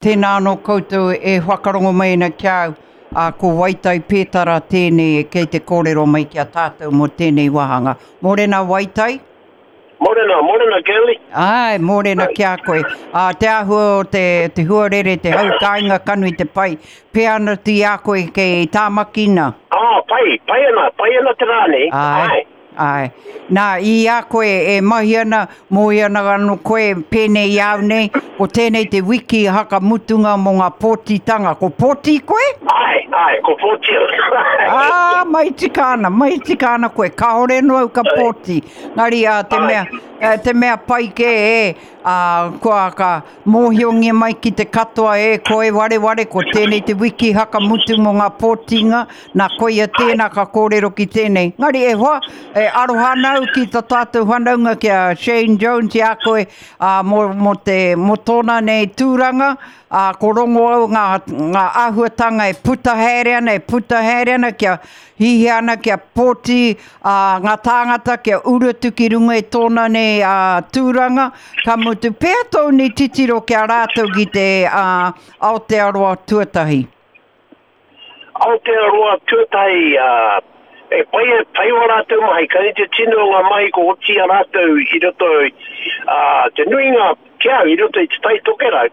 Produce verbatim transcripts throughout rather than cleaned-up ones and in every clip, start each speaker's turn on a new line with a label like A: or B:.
A: Tēnā anō koutou e whakarongo mai ana ki a au, ā, ko Waitai Pētara tēnei kei te kōrero mai ki a tātou mō tēnei wāhanga. Mōrena Waitai?
B: Mōrena, mōrena Girlie.
A: Āe, mōrena ki a koe. Ā, te āhua o te, te huarere, te hau kāinga kanu i te pai, pēa ana i a koe kei Tāmaki nā?
B: Ā, pai, pai ana, pai ana te rā nei.
A: Āe.
B: Āe.
A: Āe. Nā, i a koe e mahi ana, mōhio ana anō koe pēnei i a au nei, ko tēnei te wiki hakamutunga mō ngā pōtitanga. Ko pōti koe?
B: Āe, āe, ko pōti au.
A: Ā, mai tika ana, mai tika ana koe. Kāore anō au ka pōti. Engari, ā, te mea, te mea pai kē e, ā, kua ka mōhiongia mai ki te katoa e koe wareware, ko tēnei te wiki hakamutu mō ngā pōtinga, nā koia tēnā ka kōrero ki tēnei. Engari e hoa, e aroha ana au ki tā tātou whanaunga ki a Shane Jones i a koe, ā, mō, mō te, mō tōna nei tūranga, ā, ko rongo au ngā, ngā āhuatanga e puta haere ana, e puta haere ana kia hihia ana, kia pōti, ā, ngā tāngata kia uru atu ki runga i tōna nei ā, tūranga, ka mutu pea tōu nei titiro ki a rātou ki te ā, Aotearoa tuatahi.
B: Aotearoa tuatahi, ā, e pai, pai wā rātou mahi, ka rite tino ngā mahi ko oti i a rātou i roto i, ā, te nuinga ki au i roto i Te Tai Tokerau,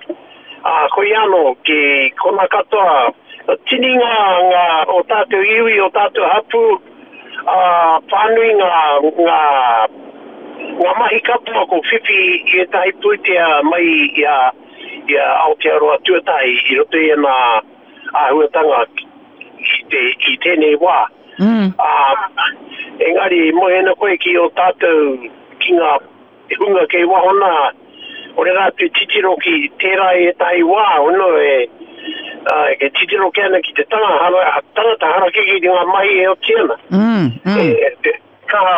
B: ā, koia anō ki kona katoa, tini ngā, ngā, o tātou iwi, o tātou hapū, ā, whānui ngā, ngā, ngā mahi katoa ko whiwhi i ētahi pūtea mai i a, i a Aotearoa tuatahi i roto i ēnā āhuatanga i, te, i tēnei wā.
A: Mm.
B: Ā, engari, moe ana koe ki ō tātou, ki ngā hunga kei waho nā, ore rātou titiro ki tērā i ētahi wā, ono e, uh, e titiro ke ana ki te tanga, hara, tangata harakeke ki ngā mahi e oti ana.
A: Mm, mm.
B: E, e, kaha,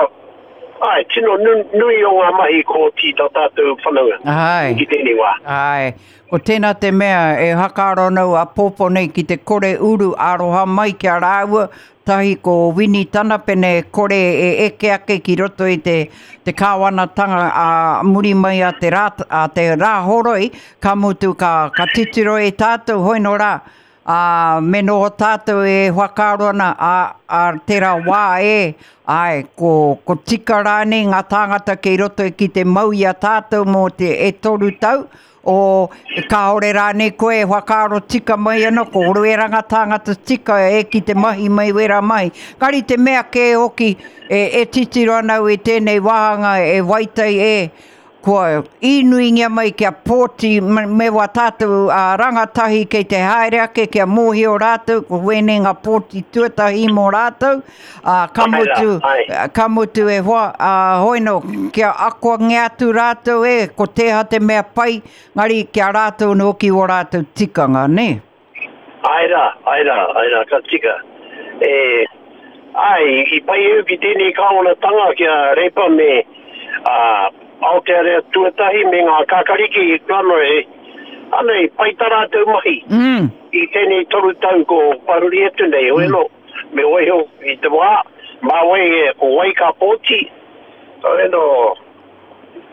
B: ai, tino nu, nui o ngā mahi ko oti tā tātou whanaunga
A: Ai.
B: ki tēnei wā.
A: Ai, ko tēnā te mea e hakaaro nau a pōpō nei ki te kore uru aroha mai ki a rāua, tahi ko Wini Tanapene e kore e eke ake ki roto i te, te kāwanatanga a muri mai a te, rā, a te rāhoroi, ka mutu ka, ka titiro e tātou hoi no rā, ā, me noho tātou e whakaaro ana a, a tērā wā e, ai, ko, ko tika rānei ngā tāngata kei roto ki te mau i a tātou mō te e toru tau, o kāore rānei koe e whakaaro tika mai ana, ko wera ngā tāngata tika e ki te mahi mai wera mai. Kari te mea kē hoki e, e titiro ana au i tēnei wāhanga e waitai e, kua īnuingia mai kia pōti me, me wā tātou ā, rangatahi kei te haere ake kia mōhio rātou, ko wēnei ngā pōti tuatahi mō rātou, ā, ka
B: Ai rā,
A: mutu,
B: ai.
A: ka mutu e hoa, ā, hoino, kia akoangia atu rātou e, ko tēha te mea pai, ngari kia rātou anō ki o rātou tikanga, ne?
B: Ai rā, ai rā, ai rā, ka tika. E, ai, i pai au ki tēnei kāwanatanga ki a Reipa me a, Aotearoa tuatahi me ngā kakariki i Plano e, anei, pai tā rātou mahi.
A: Mm.
B: I tēnei toru tau ko paruri atu nei, hoi anō, me waiho i te wā, mā wai e, ko wai ka pōti, hoi anō,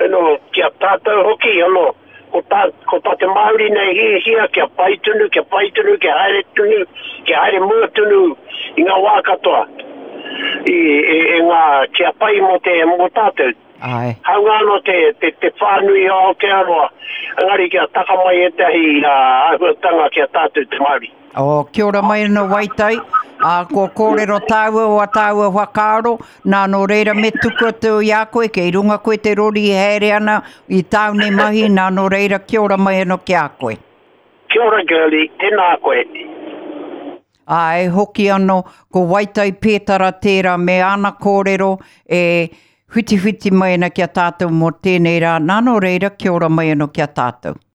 B: anō, ki a tātou hoki, anō, ko tā, ko tā te Māori nei hihia kia pai tonu, kia pai tonu, kia haere tonu, kia haere mua tonu i ngā wā katoa. I, e, e ngā, kia pai mō te, mō tātou.
A: Ai.
B: Haunga anō te, te, te whānui o Aotearoa, engari kia taka mai ētahi uh, āhuatanga ki a tātou te Māori.
A: O, kia ora mai anō Waitai, ā, kua kōrero tāua o a tāua whakaaro, nā nō reira me tuku atu i a koe, kei runga koe te rori e haere ana i tāu nei mahi, nā nō reira kia ora mai anō ki a koe.
B: Kia ora girlie, tēnā koe.
A: Ā, e hoki anō, ko Waitai Pētara tērā me ana kōrero e whitiwhiti mai ana ki a tātou mō tēnei rā. Nā nō reira, kia ora mai anō ki a tātou.